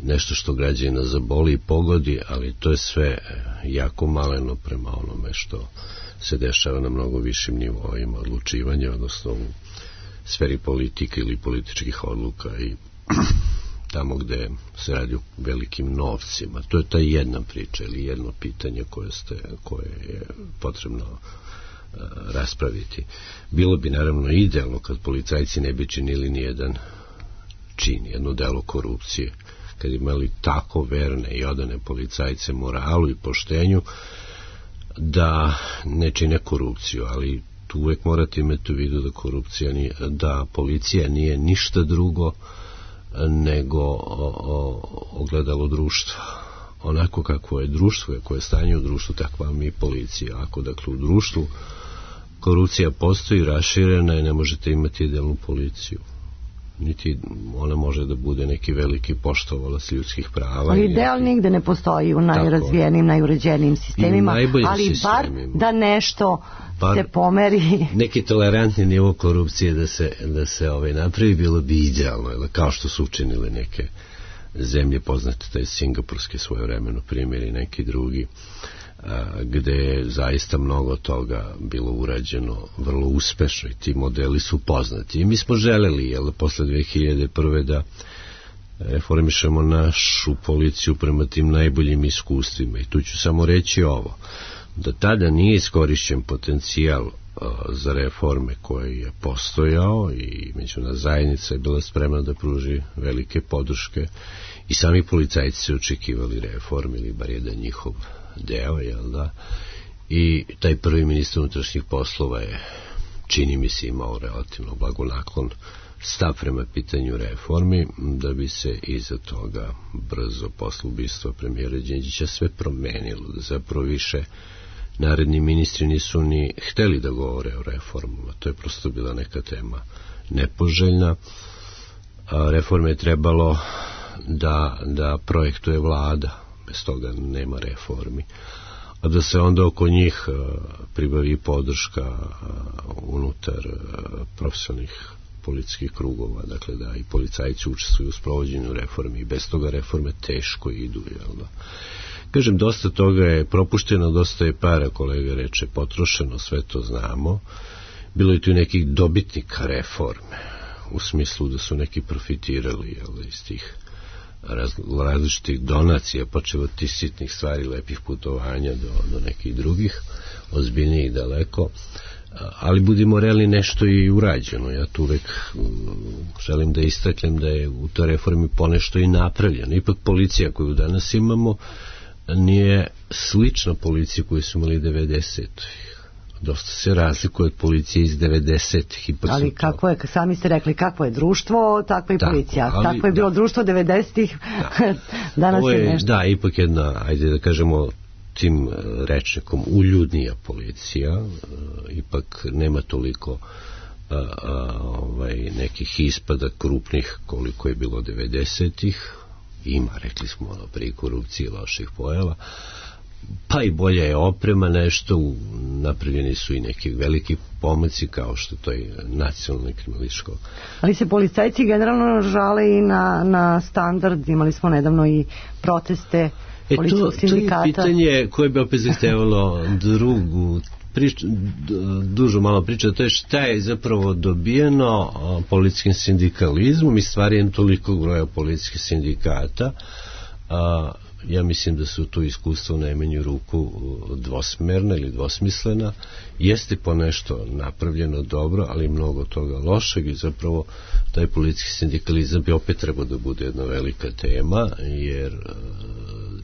nešto što građanina zaboli i pogodi, ali to je sve jako maleno prema onome što se dešava na mnogo višim nivoima odlučivanja, odnosno u sferi politike ili političkih odluka i tamo gde se radi o velikim novcima. To je ta jedna priča ili jedno pitanje koje, ste, koje je potrebno uh, raspraviti. Bilo bi naravno idealno kad policajci ne bi činili ni jedan čin, jedno delo korupcije, kad imali tako verne i odane policajce moralu i poštenju da ne čine korupciju, ali tu uvek morate imati u vidu da korupcija nije, da policija nije ništa drugo nego o, o, ogledalo društva. Onako kako je društvo, koje je stanje u društvu, takva mi je policija. Ako dakle u društvu korupcija postoji, raširena, i ne možete imati idealnu policiju. niti ona može da bude neki veliki poštovalac ljudskih prava. Ali ideal nigde ne postoji u najrazvijenim, najuređenijim sistemima, ali sistemima. Bar da nešto bar se pomeri. Neki tolerantni nivo korupcije da se, da se ovaj, napravi, bilo bi idealno, kao što su učinile neke zemlje poznate, taj singapurski svojevremeno primjer i neki drugi, a, gde je zaista mnogo toga bilo urađeno vrlo uspešno i ti modeli su poznati. I mi smo želeli, jel, posle dve hiljade prve da reformišemo našu policiju prema tim najboljim iskustvima. I tu ću samo reći ovo, da tada nije iskorišćen potencijal uh, za reforme koji je postojao i međunarodna zajednica je bila spremna da pruži velike podrške i sami policajci su očekivali reforme ili bar jedan njihov deo, jel da? I taj prvi ministar unutrašnjih poslova je, čini mi se, imao relativno blagonaklon stav prema pitanju reformi, da bi se iza toga brzo posle ubistva premijera Đinđića sve promenilo, da zapravo više naredni ministri nisu ni hteli da govore o reformama. To je prosto bila neka tema nepoželjna. A reforme je trebalo da, da projektuje vlada, bez toga nema reformi. A da se onda oko njih pribavi podrška unutar profesionalnih policijskih krugova, dakle da i policajci učestvuju u sprovođenju reformi i bez toga reforme teško idu, jel da? Kažem, dosta toga je propušteno, dosta je para, kolega reče, potrošeno, sve to znamo. Bilo je tu nekih dobitnika reforme, u smislu da su neki profitirali, jel, iz tih raz, različitih donacija, počeo od tih sitnih stvari, lepih putovanja do, do nekih drugih, ozbiljnijih daleko. Ali budimo realni, nešto i urađeno. Ja tu uvek želim da istaknem da je u toj reformi ponešto i napravljeno. Ipak policija koju danas imamo nije slična policiji koju su imali devedesetih. Dosta se razlikuje od policije iz devedesetih. Ali kako je, sami ste rekli, kakvo je društvo, takva je policija. Ali, tako je bilo da. Društvo devedesetih, da. Danas je, je nešto. Da, ipak jedna, ajde da kažemo, tim rečnikom uljudnija policija, ipak nema toliko a, a, ovaj, nekih ispada krupnih koliko je bilo devedesetih. Ima, rekli smo, ono, pri korupciji loših pojava, pa i bolja je oprema nešto, napravljeni su i neki veliki pomaci kao što to je nacionalni kriminalističko. Ali se policajci generalno žale i na, na standard, imali smo nedavno i proteste E to, to je pitanje koje bi opet zahtevalo drugu priču, dužu malo priča, to je šta je zapravo dobijeno policijskim sindikalizmom i stvarjem toliko broja policijskih sindikata. A, ja mislim da su tu iskustva u najmanju ruku dvosmerna ili dvosmislena. Jeste po nešto napravljeno dobro, ali mnogo toga lošeg i zapravo taj policijski sindikalizam bi opet trebao da bude jedna velika tema, jer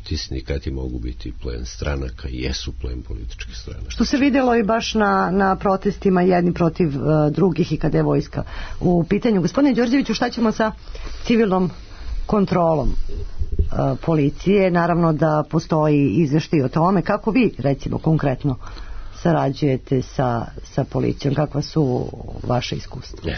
ti sindikati mogu biti plen stranaka i jesu plen političkih stranaka. Što se vidjelo i baš na, na protestima jedni protiv uh, drugih i kada je vojska u pitanju. Gospodine Đorđeviću, šta ćemo sa civilnom kontrolom uh, policije? Naravno da postoji izveštaj o tome. Kako vi, recimo, konkretno sarađujete sa, sa policijom? Kakva su vaše iskustva?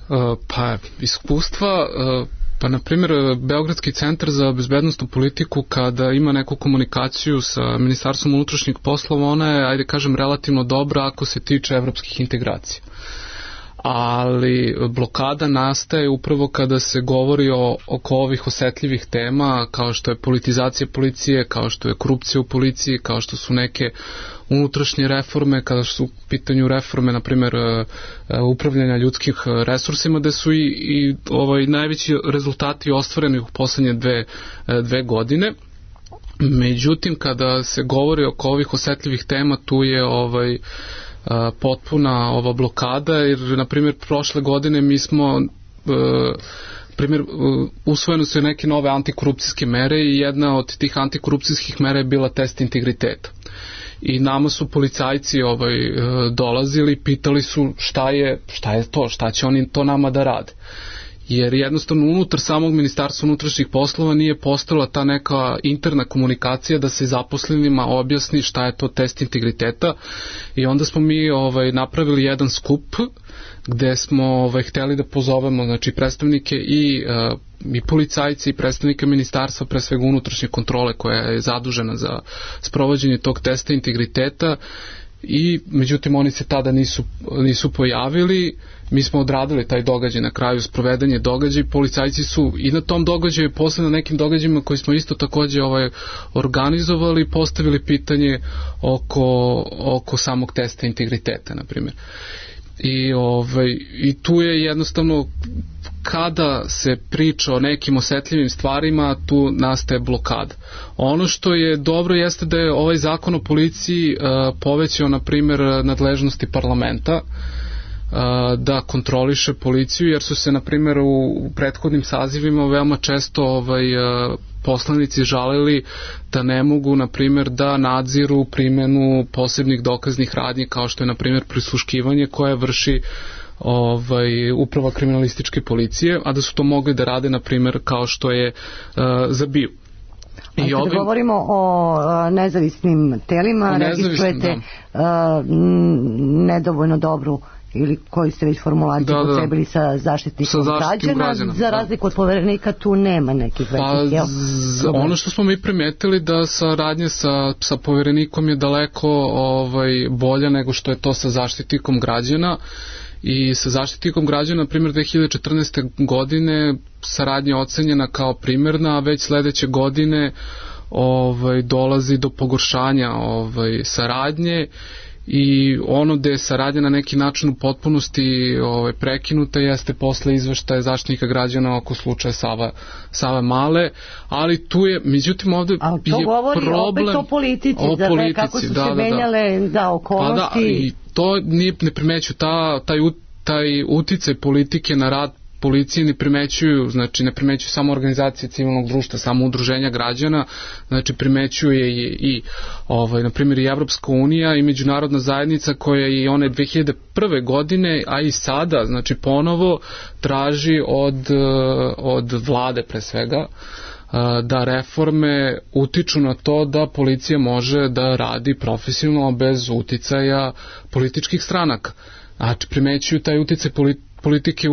Uh, pa, iskustva... Uh... Pa, na primjer, Beogradski centar za bezbednostnu politiku, kada ima neku komunikaciju sa Ministarstvom unutrašnjih poslova, ona je, ajde kažem, relativno dobra ako se tiče evropskih integracija. Ali blokada nastaje upravo kada se govori o, oko ovih osetljivih tema, kao što je politizacija policije, kao što je korupcija u policiji, kao što su neke unutrašnje reforme, kada su u pitanju reforme, na primjer, upravljanja ljudskim resursima, da su i, i ovaj, najveći rezultati ostvareni u poslednje dve, dve godine. Međutim, kada se govori oko ovih osetljivih tema, tu je ovaj potpuna ova blokada, jer na primjer prošle godine mi smo primjer, usvojene su neke nove antikorupcijske mere i jedna od tih antikorupcijskih mera je bila test integriteta. I nama su policajci ovaj, dolazili, pitali su šta je, šta je to, šta će oni to nama da rade. jer jednostavno unutar samog Ministarstva unutrašnjih poslova nije postala ta neka interna komunikacija da se zaposlenima objasni šta je to test integriteta, i onda smo mi ovaj, napravili jedan skup gde smo ovaj, hteli da pozovemo znači, predstavnike i, uh, i policajci i predstavnike ministarstva, pre svega unutrašnje kontrole koja je zadužena za sprovođenje tog testa integriteta, i međutim oni se tada nisu, nisu pojavili. Mi smo odradili taj događaj, na kraju sprovedanje događaj, policajci su i na tom događaju, posle na nekim događajima koji smo isto takođe ovaj, organizovali, postavili pitanje oko, oko samog testa integriteta, na primjer. I, ovaj, i tu je jednostavno kada se priča o nekim osetljivim stvarima, tu nastaje blokada. Ono što je dobro jeste da je ovaj zakon o policiji uh, povećao, na primjer, nadležnosti parlamenta uh, da kontroliše policiju, jer su se, na primjer, u, u prethodnim sazivima veoma često ovaj, uh, poslanici žalili da ne mogu, na primjer, da nadziru primjenu posebnih dokaznih radnji, kao što je, na primjer, prisluškivanje koje vrši ovaj, uprava kriminalističke policije, a da su to mogli da rade, na primjer, kao što je uh, za B I U. I kada ovim... govorimo o uh, nezavisnim telima, registrujete da. uh, nedovoljno dobru ili koji ste već formulaciju da, potrebili da. sa zaštitnikom sa građana, građana, za razliku da. od poverenika tu nema nekih većih, jel? Pa, ono što smo mi primetili da saradnja sa, sa poverenikom je daleko ovaj, bolja nego što je to sa zaštitnikom građana, i sa zaštitnikom građana, na primjer, dve hiljade četrnaeste. godine saradnja je ocenjena kao primjerna, a već sledeće godine ovaj, dolazi do pogoršanja ovaj, saradnje, i ono gde je saradnja na neki način u potpunosti ovaj, prekinuta jeste posle izveštaja zaštitnika građana oko slučaja Sava, Save Male, ali tu je, međutim ovde ali to je govori problem opet o politici, o da politici, kako su da, se menjale da, da, okolnosti. Pa da, i to nije, ne primeću, ta, taj, taj uticaj politike na rad policije ne primećuju, znači ne primećuju samo organizacije civilnog društva, samo udruženja građana, znači primećuje i, i ovaj, na primjer i Evropska unija i međunarodna zajednica koja i one dve hiljade prve. godine, a i sada, znači ponovo traži od, od vlade pre svega da reforme utiču na to da policija može da radi profesionalno bez uticaja političkih stranaka. Znači primećuju taj uticaj politike politike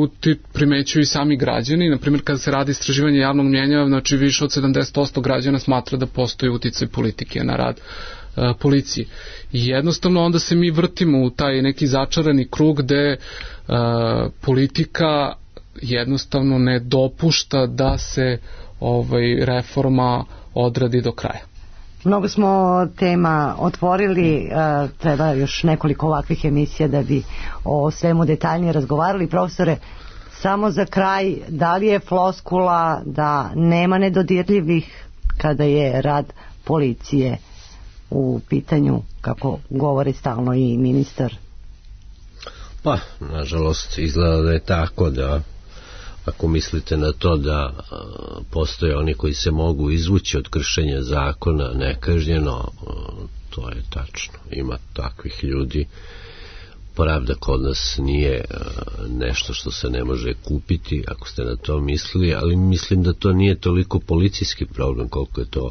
primećuju i sami građani. Naprimjer, kada se radi istraživanje javnog mnjenja, znači više od sedamdeset posto građana smatra da postoji uticaj politike na rad uh, policije. I jednostavno onda se mi vrtimo u taj neki začarani krug gde uh, politika jednostavno ne dopušta da se ovaj, reforma odradi do kraja. Mnogo smo tema otvorili, treba još nekoliko ovakvih emisija da bi o svemu detaljnije razgovarali. Profesore, samo za kraj, da li je floskula da nema nedodirljivih kada je rad policije u pitanju, kako govori stalno i ministar? Pa, nažalost, izgleda da je tako, da ako mislite na to da a, postoje oni koji se mogu izvući od kršenja zakona nekažnjeno, a, to je tačno. Ima takvih ljudi. Pravda kod nas nije a, nešto što se ne može kupiti, ako ste na to mislili, ali mislim da to nije toliko policijski problem koliko je to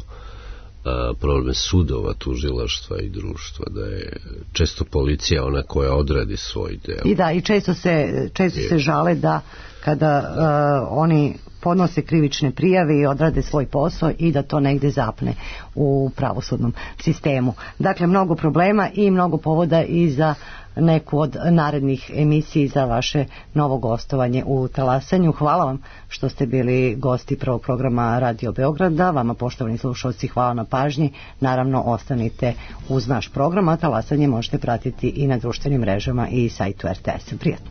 a, problem sudova, tužilaštva i društva, da je često policija ona koja odradi svoj deo. I da, i često se, često se žale da kada uh, oni podnose krivične prijave i odrade svoj posao i da to negde zapne u pravosudnom sistemu. Dakle, mnogo problema i mnogo povoda i za neku od narednih emisiji za vaše novo gostovanje u Talasanju. Hvala vam što ste bili gosti prvog programa Radio Beograda. Vama, poštovani slušalci, hvala na pažnji. Naravno, ostanite uz naš program, a Talasanje možete pratiti i na društvenim mrežama i sajtu er te es. Prijatno.